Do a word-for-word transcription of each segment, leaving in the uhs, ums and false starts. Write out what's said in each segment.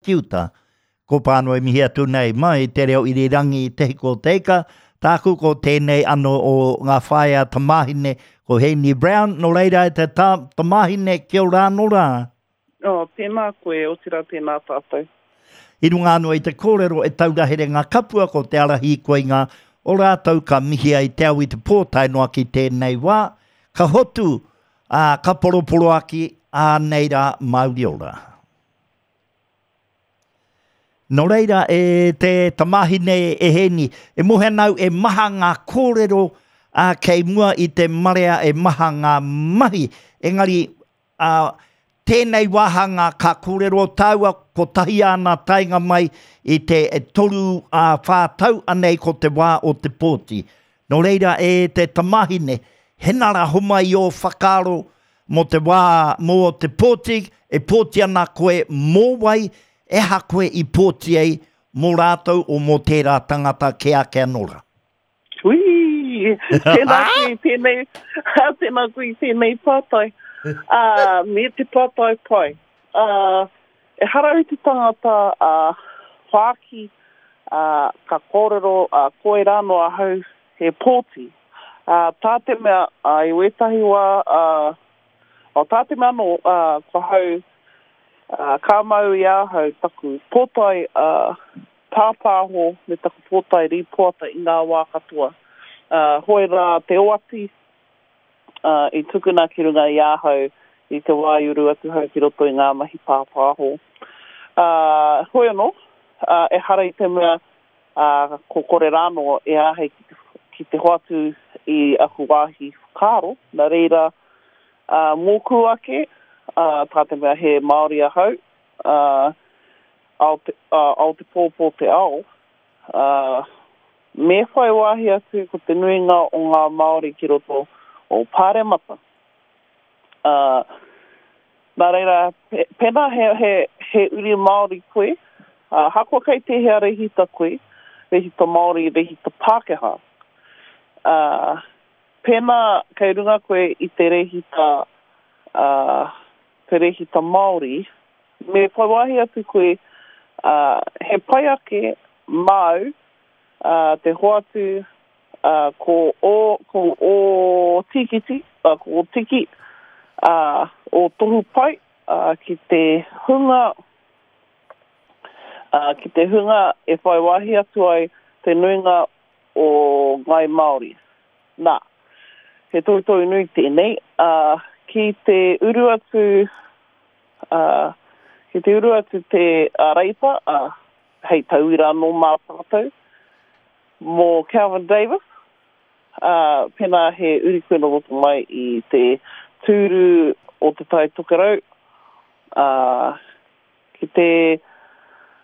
Ki uta. Ko Pānui mihi atu nei mai te reo irirangi Te Hiko o Te Ika, tāku ko tēnei ano o ngā whaea tamāhine, ko Heni Brown, nō reira e te ta, tamāhine, kia ora anō rā. Oh, tēnā koe, otirā tēnā tātou. I runga anō i te kōrero e taura here ngā kapua ko te ara hīkoinga o rātou ka mihia i te ao i te pō tae noa ki tēnei wā, ka hotu, ā, ka poroporoaki, ā, nei rā, mauri ora. Nō reira, e te tamāhine e Hēni, e mohe ana au e maha ngā kōrero ā, kei mua i te marea e maha ngā mahi, engari ā, tēnei wāhanga ka kōrero tāua kotahi āna taenga mai i te toru ā whā tau anei ko te wā o te pōti. Nō reira, e te tamāhine, hena rā homai i ō whakaaro mō te wā, mō te pōti, e pōti ana koe mō wai, e aha koe i pōti ai mō rātou o mō tērā tangata kē ake anō rā? Hui! Tēnā koe i tēnei, tēnā koe i tēnei pātai. Uh, me te pātai pai. Uh, ehara i te tangata uh, whāki uh, ka kōrero uh, koe rāno ahau he pōti. Uh, tā te mea, uh, i wētahi wā, uh, o tā te mea anō, uh, ko hau, uh, ka mau i ahau taku pōtae uh, pāpāho me taku pōtae rīpoata i ngā wā katoa. Uh, hoi rā te oati uh, i tukuna ki runga i ahau i te wā i uru atu hau ki roto i ngā mahi pāpāho. Uh, hoi anō, uh, ehara i te mea uh, ko kore rāno e āhei ki te, ki te hoatu i aku wāhi whakaaro, nā reira uh, mōku ake, uh, tā te mea he Māori ahau, uh, ao te, uh, ao te pōpō te ao, uh, me whai wāhi atu ko te nuinga o ngā Māori ki roto o Pāremata. Uh, nā reira, pe, pēnā he, he, he uri Māori koe, uh, hakoa kei tēhea rehita koe, rehita Māori, rehita Pākehā. Uh, pēnā kei runga koe i te rehita, uh, te rehita Māori, me whai wāhi atu koe, uh, he pai ake māu uh, te hoatu uh, ko o, ko o tīkiti, uh, ko o tiki, uh, o tohu pai uh, ki te hunga uh, ki te hunga e whai wāhi atu ai te nuinga o Ngai Māori. Nā, he tohutohu nui tēnei, uh, ki te uru atu uh, ki te uru atu te uh, Reipa, uh, hei tauira anō mā tātou, mō Kelvin Davis, uh, pēnā he uri koe nō roto mai i te tūru o te Tai Tokerau, uh, ki te,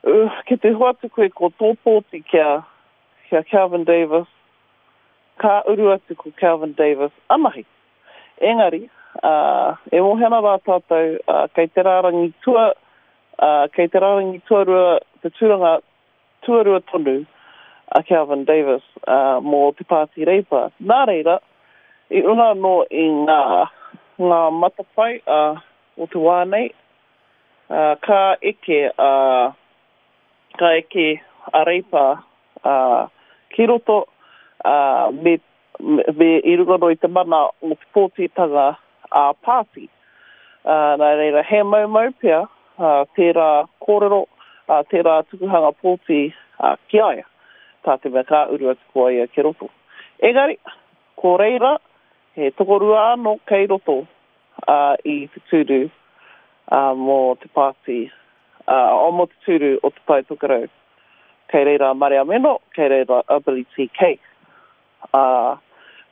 uh, ki te hoatu koe ko tō pōti kia, kia Kelvin Davis, ka uru atu ko Kelvin Davis anahe. Engari, uh, e mohe ana rā tātou, uh, kei te rārangi tua, uh, kei te rārangi tuarua, te tūranga tuarua tonu a Kelvin Davis uh, mō te Pāti Reipa. Nā reira, i runga anō i ngā, ngā matapae uh, o te wā nei, uh, ka eke, uh, ka eke a Reipa uh, ki roto uh, me, me, me i runga anō i te mana o te pōtitanga a pāti. Uh, nā reira, he maumau pea uh, tērā kōrero, uh, tērā tukuhanga pōti uh, ki a ia, tā te mea ka uru atu ko ia ki roto. Engari, ko reira, he tokorua anō kei roto uh, i te tūru uh, mō te pāti, uh, o mō te tūru o te Tai Tokerau. Kei reira Marea Meno, kei reira a Billy T K. Uh,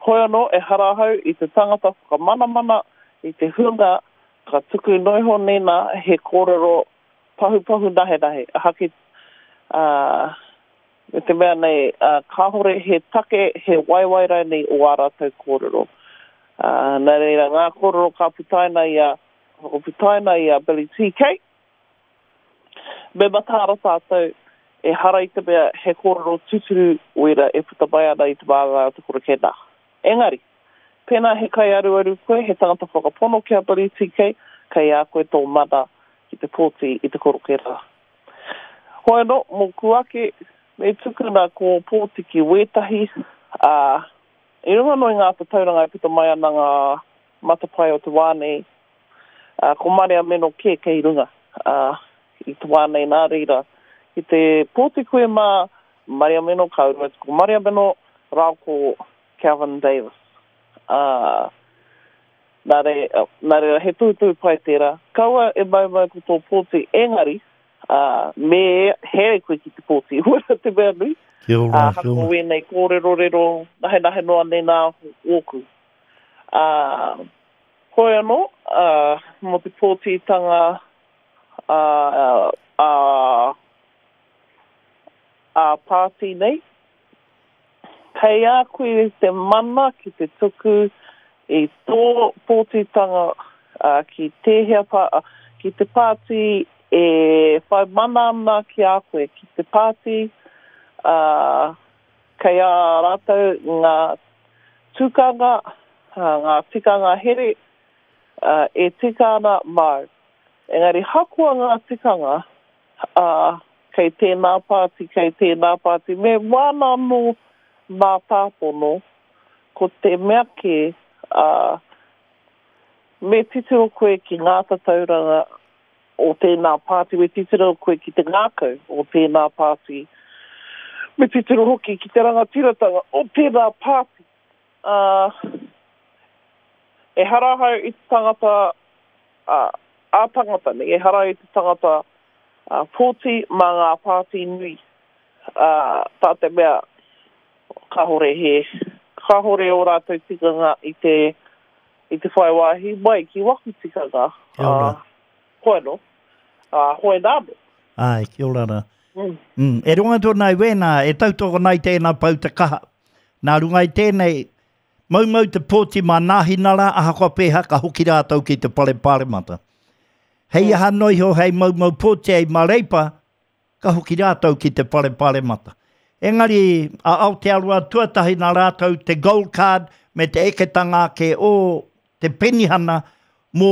hoi anō, ehara ahau i te tangata whakamanamana i te hunga ka tuku noiho nena he kōrero pahupahu nahenahe. Haki, uh, me te mea nei, uh, kāhore he take, he waiwai rānei o ā rātou kōrero. Uh, nā reira, ngā kōrero ka putaina i a, whakaputaina i a Billy T K. Me mataara tātou, ehara i te mea he kōrero tūturu wera e puta mai ana i te māngai o te koroke nā. Engari, pēnā he kaiaruaru koe, he tangata whakapono ki a Billy T K, kei a koe tō mana ki te pōti i te koroke rā. Hoi anō, mōku ake, me tukuna ko Pōtiki wētahi, ā, i runga anō i ngā tatauranga e puta mai ana ngā matapae o te wā nei, ā, ko Marea Meno kē kei runga, ā, i te wā nei nā reira, ki te pōti koe mā Marea Meno ka uru atu ko Marea Meno rāua ko Kelvin Davis. Ā, nā reira, nā reira, he tohutohu pai tērā. Kaua e maumau ko tō pōti, engari, ā, me here koe ki te pōti, wera te mea nui. Kia ora, Ā, kia ora. hako wēnei kōrerorero, nahenahe noa nei nā ōku. Ā, hoi anō, ā, mō te pōtitanga, ā, ā, ā pāti nei, kei a koe te mana ki te tuku i tō pōtitanga, ā, ki tēhea pā, ki te pāti e whai mana ana ki a koe, ki te pāti, ā, kei a rātou ngā tukanga, ā, ngā tikanga here, ā, e tika ana māu. Engari hakoa ngā tikanga, ā, kei tēnā pāti, kei tēnā pāti, me wāna anō mātāpono, ko te mea kē, ā, me titiro koe ki ngā tatauranga o tēnā pāti, me titiro koe ki te ngākau o tēnā pāti, me titiro hoki ki te rangatiratanga o tēnā pāti. Ā, ehara ahau i te tangata, ā, ā-tangata nei, ehara i te tangata, ā, pōti mā ngā pāti nui, ā, tā te mea kāhore he, kāhore ō rātou tikanga i te, i te whai wāhi mai ki waku tikanga, Kia ora. ā, hoi anō, ā, hoi nā anō. Ai, kia ora rā. Mm. Mm. E runga atu ana i wēnā, e tautoko nei tēnā pau te kaha. Nā runga i tēnei, maumau te pōti mā Nāhinara, ahakoa pēhā ka hoki rātou ki te whare pāremata. Hei aha noa iho hei maumau pōti ai mā Reipa, ka hoki rātou ki te whare pāremata. Engari, a Aotearoa tuatahi nā rātou te gold card me te eketanga ake o te penihana mō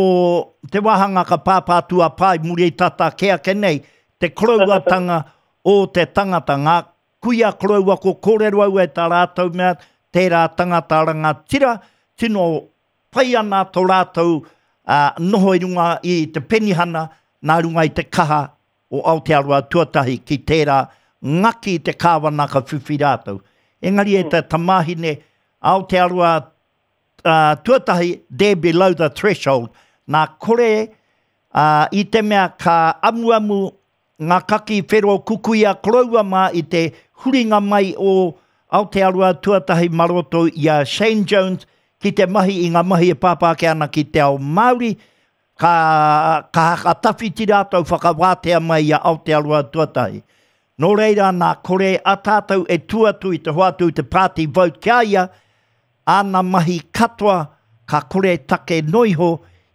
te wāhanga ka pāpā atu a Pae muri tata kē ake nei, te korouatanga o te tangata, ngā kuia koroua ko kōrero au e tā rātou mea, tērā tangata rangatira, tino pai ana tō rātou, ā, noho i runga i te penihana nā runga i te kaha o Aotearoa tuatahi ki tērā ngaki i te kāwana ka whiwhi rātou. Engari e te tamāhine Aotearoa, ā, tuatahi, they're below the threshold. Nā kore, ā, i te mea ka amuamu ngā kaki whero kukuia koroua mā i te huringa mai o Aotearoa tuatahi mā roto i a Shane Jones ki te mahi i ngā mahi e pāpā ake ana ki te ao Māori, ka, ka haka tawhiti rātou whakawātea mai i a Aotearoa tuatahi. Nō reira nā kore a tātou e tū atu i te hoatu i te party vote ki a ia, āna mahi katoa ka kore take noa iho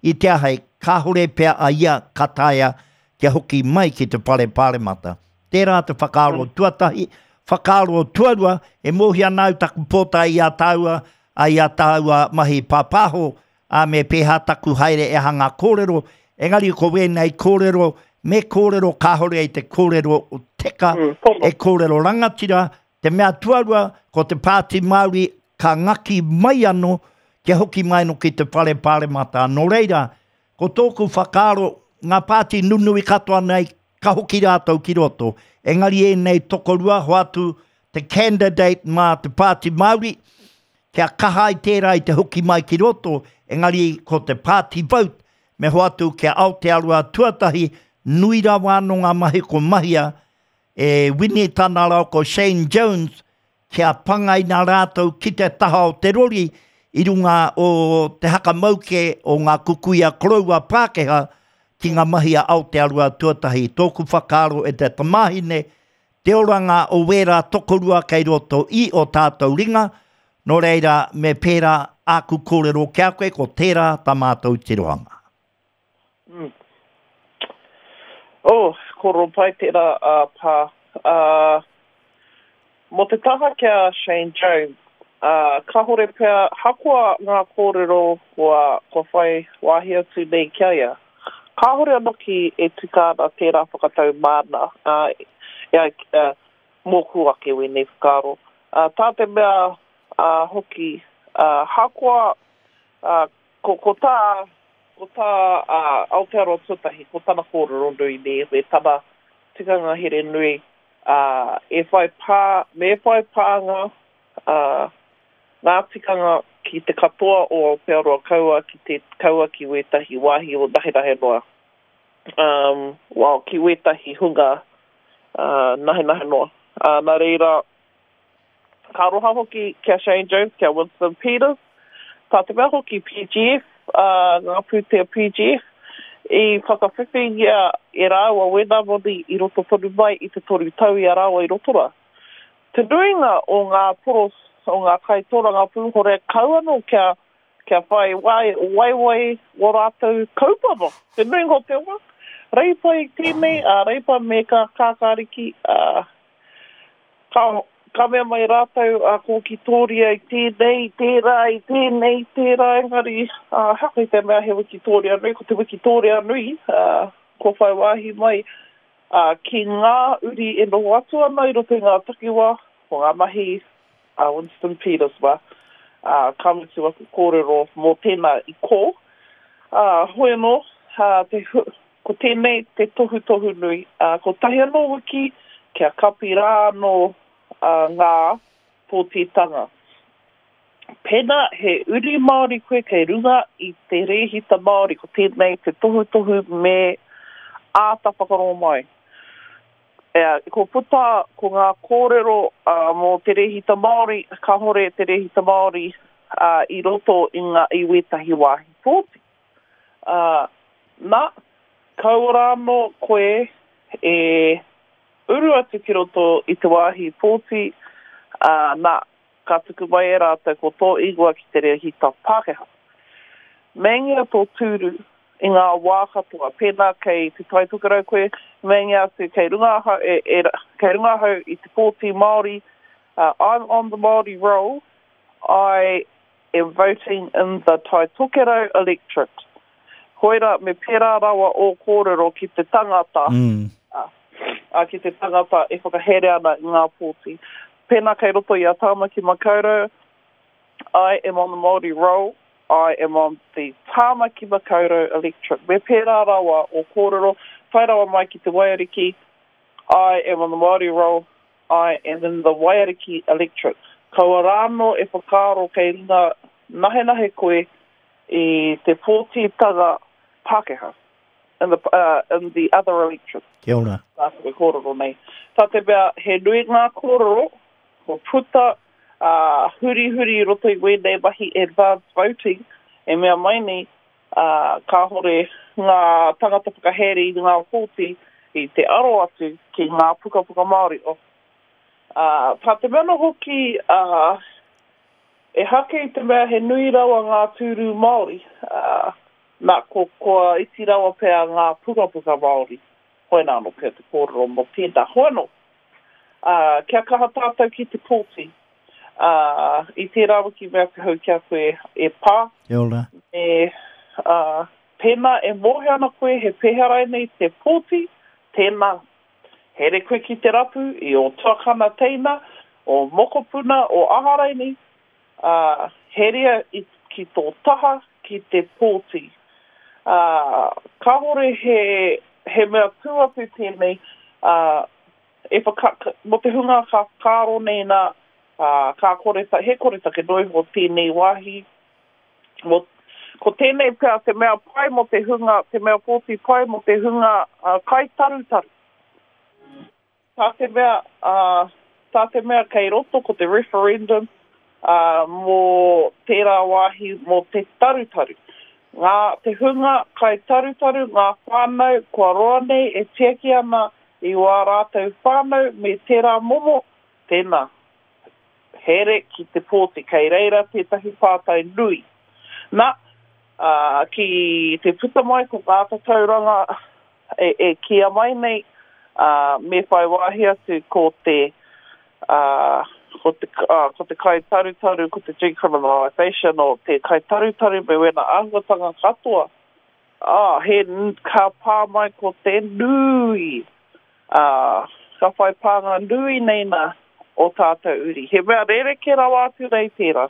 i te ahei, kāhore pea a ia ka taea kia hoki mai ki te whare pāremata. Tērā te whakaaro tuatahi, whakaaro tuarua, e mōhio ana au taku pōtae i a tāua, a i a tāua mahi pāpāho, ā, me pēhā taku haere e hanga kōrero, engari ko wēnei kōrero, me kōrero kāhore i te kōrero teka, Mm, pono. e kōrero rangatira, te mea tuarua, ko te Pāti Māori ka ngaki mai anō, kia hoki mai anō ki te whare pāremata. Nō reira, ko tōku whakaaro, ngā pāti nunui katoa nei, ka hoki rātou ki roto. Engari ēnei tokorua, hoatu te candidate mā te Pāti Māori, kia kaha ai tērā i te hoki mai ki roto, engari ko te party vote, me hoatu kia Aotearoa tuatahi, nui rawa anō ngā mahi ko mahia e Wini Tanara ko Shane Jones, kia pangaina rātou ki te taha o te rori i runga o te hakamauke o ngā kukuia koroua Pākehā ki ngā mahi a Aotearoa tuatahi. Tōku whakaaro e te tamāhine, te oranga o wērā tokorua kei roto i o tātou ringa, nō reira me pērā āku kōrero ki a koe, ko tērā tā mātou tirohanga. Mm. Oh, kōrero pai tērā, uh, pā. Uh, mō te taha ki a Shane Jones, uh, kāhore pea, hakoa ngā kōrero kua, kua whai wāhi atu nei ki a ia. Kāhore anō ki e tika ana tērā whakatau māna. Uh, E ai, uh, mōku ake wēnei whakaaro. Uh, tā te mea uh, hoki, uh, hakoa, uh, ko, ko tā, ko tā uh, Aotearoa Tuatahi, ko tana kōrero nui nei, me tana tikanga here nui, uh, e whai pā, me whai pānga uh, ngā tikanga ki te katoa o Aotearoa kaua ki te kaua ki wētahi wāhi o nahenahe noa. Um, well, ki wētahi hunga uh, nahenahe noa. Uh, nā reira, ka aroha hoki ki a Shane Jones, ki a Winston Peters, tā te mea hoki P G F, uh, ngā pūtea P G F, i whakawhiwhingia e rāua wēnā moni i roto tonu mai i te toru tau i a rāua i roto rā. Te nuinga o ngā poros, o ngā kaitōrangapū hore kau anō kia, kia whai wai, waiwai o rātou kaupapa. Te nuinga o te wā, reipa i tēnei, a reipa me ka kākāriki, a, ka, ka mea mai rātou a ko Wikitoria i tēnei, tērā, i tēnei, tērā, engari, a, haka i te mea he Wikitoria nui, ko te Wikitoria nui, a, ko whai wāhi mai, a, ki ngā uri e noho atu ana i roto i ngā takiwā, ko ngā mahi a Winston Peters mā, a, ka mutu aku kōrero mō tēnā i kō. A, hoi anō, a, te, ko tēnei te tohutohu nui, a, ko tahi anō wiki kia kapi rā anō a, ngā pōtitanga. Pēnā he uri Māori koe kei runga i te rēhita Māori, ko tēnei te tohutohu me āta whakarongo mai. E, ko puta ko ngā kōrero uh, mō te rēhita Māori, kāhore te rēhita Māori uh, i roto i ngā i wētahi wāhi pōti. Uh, nā, kaua rā anō koe e uru atu ki roto i te wāhi pōti, uh, nā, ka tuku mai e rātou ko tō ingoa ki te rēhita Pākehā. Meingia tō tūru i ngā wā katoa, pēnā kei te Tai Tokerau koe, meingia atu kei runga ahau, e, e, kei runga ahau i te pōti Māori, uh, I'm on the Māori roll, I am voting in the Tai Tokerau electorate. Koira, me pērā rawa o kōrero ki te tangata, mm. uh, uh, ki te tangata e whakahere ana i ngā pōti. Pēnā kei roto i a Tāmaki Makaurau, I am on the Māori roll, I am on the Tāmaki Makaurau electorate. Me pērā rawa o kōrero, tae rawa mai ki te Waiariki, I am on the Māori roll, I am in the Waiariki electorate. Kaua rāno e whakaaro kei runga nahenahe koe i te pōtitanga Pākehā in the, uh, in the other electorate. Kia ora. Tā te kōrero nei. Tā te mea, he nui ngā kōrero, ko puta uh, huri huri i roto i wēnei mahi advanced voting, e mea mai nei, uh, kāhore ngā tangata whakahere i ngā pōti i te aro atu ki ngā pukapuka Māori. Uh, tā te mea no hoki, uh, e hake i te mea he nui rawa ngā tūru Māori, uh, nā, ko, kua iti rawa pea ngā pukapuka Māori. Hoi nā anō pea te kōrero mō tēnā. Hoi anō, uh, kia kaha tātou ki te pōti. Uh, i tērā wiki mea te hau kia koe e pā. Kia ora. E, uh, pēnā e mōhio ana koe he pēhea nei te pōti, tēnā here koe ki te rapu i o tuakana teina, o mokopuna, o aha raini, uh, herea i, ki tō taha ki te pōti. Uh, kāhore he, he mea tū atu tēnei, uh, e whaka, mō te hunga ka whakaaro nei nā, uh, ka kore ta, he kore take noi ho tēnei wāhi. Mō, ko tēnei pea te mea pai mō te hunga, te mea pōti pai mō te hunga uh, kai tarutaru. Tā te mea, uh, tā te mea kei roto ko te referendum uh, mō tērā wāhi mō te tarutaru. Ngā, te hunga kai tarutaru, ngā whānau kua roa nei e tiaki ana i wā rātou whānau me tērā momo, tēnā. Here ki te pōti, kei reira tētahi pātai nui. Nā, uh, ki te puta mai ko ngā tatauranga e, e kia mai nei, uh, me whai wāhi atu ko te, uh, ko te, uh, ko te kai tarutaru, ko te decriminalisation o te kai tarutaru me wena āhuatanga katoa. Ah, he ka pā mai ko te nui. Uh, Ka whai pānga nui nei nā o tātou uri. He mea rerekē rawa atu nei tērā.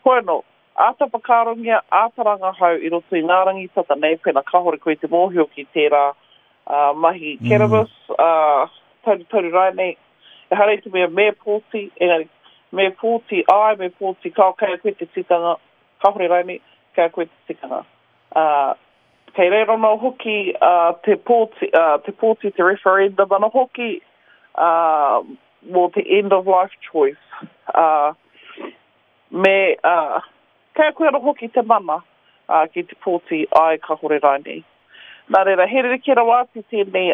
Hoi anō, āta whakaarongia, āta rangahau i roto i ngā rangi tata nei, pēnā kāhore koe i te mōhio ki tērā mahi cannabis, taurutauru rānei. Ehara i te mea me pōti, engari me pōti āe, me pōti kāo, kei a koe te tikanga, kāhore rānei, kei a koe te tikanga. Kei reira anō hoki te pōti, te pōti, te referendum anō hoki mō te end of life choice. Me, kei a koe anō hoki te mana ki te pōti āe kāhore rānei. Nā reira, he rerekē rawa atu tēnei,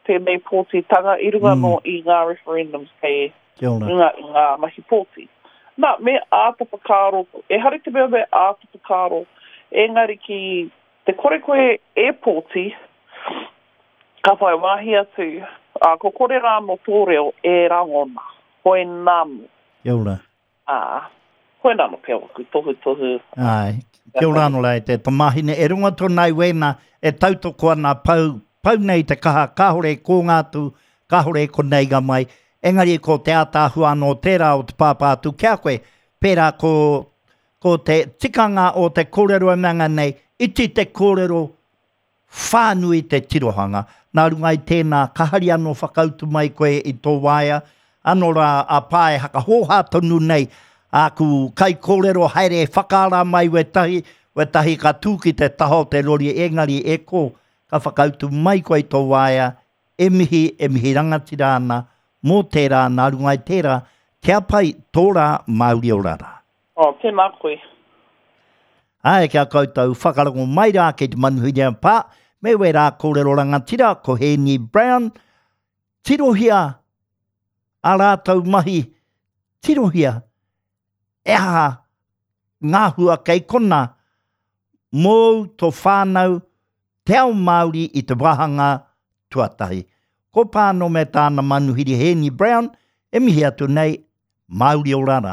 tēnei pōtitanga i runga anō i ngā referendums kei runga i ngā mahi pōti. Nā, me āta whakaaro, ehara i te mea me āta whakaaro, engari ki te kore koe e pōti, ka whai wāhi atu, ā, ko kore rā anō tō reo e rangona, hoinānō. Kia ora. Ā, hoinānō pea waku tohutohu. Āe, kia ora anō rā e te tamāhine, e rongo atu ana ai wēnā e tautoko ana pau, pau nei te kaha, kāore e kōnga atu, kāore e koneiga mai, engari ko te ātaahua anō tērā o te pāpā atu ki a koe, pērā ko, ko te tikanga o te kōrero e mea nei, iti te kōrero, whānui te tirohanga. Nā runga i tēnā, ka hari anō whakautu mai koe i tō waea, anō rā a Pā e hakahōhā tonu nei āku kaikōrero haere e whakaara mai wētahi, wētahi ka tū ki te taha o te rori engari e kō, ka whakautu mai koe i tō waea, e mihi, e mihi rangatira ana mō tērā, nā runga i tērā, kia pai tō rā Māori ora rā. Oh, tēnā koe. Āe, kia koutou whakarongo mai rā ki te manuhiri a Pā, me wērā kōrero rangatira ko Hēni Brown, tirohia ā rātou mahi, tirohia e aha ngā hua kei kona mōu tō whānau, te ao Māori i te wāhanga tuatahi. Ko Pāno me tāna manuhiri Hēni Brown e mihi atu nei, Māori ora rā.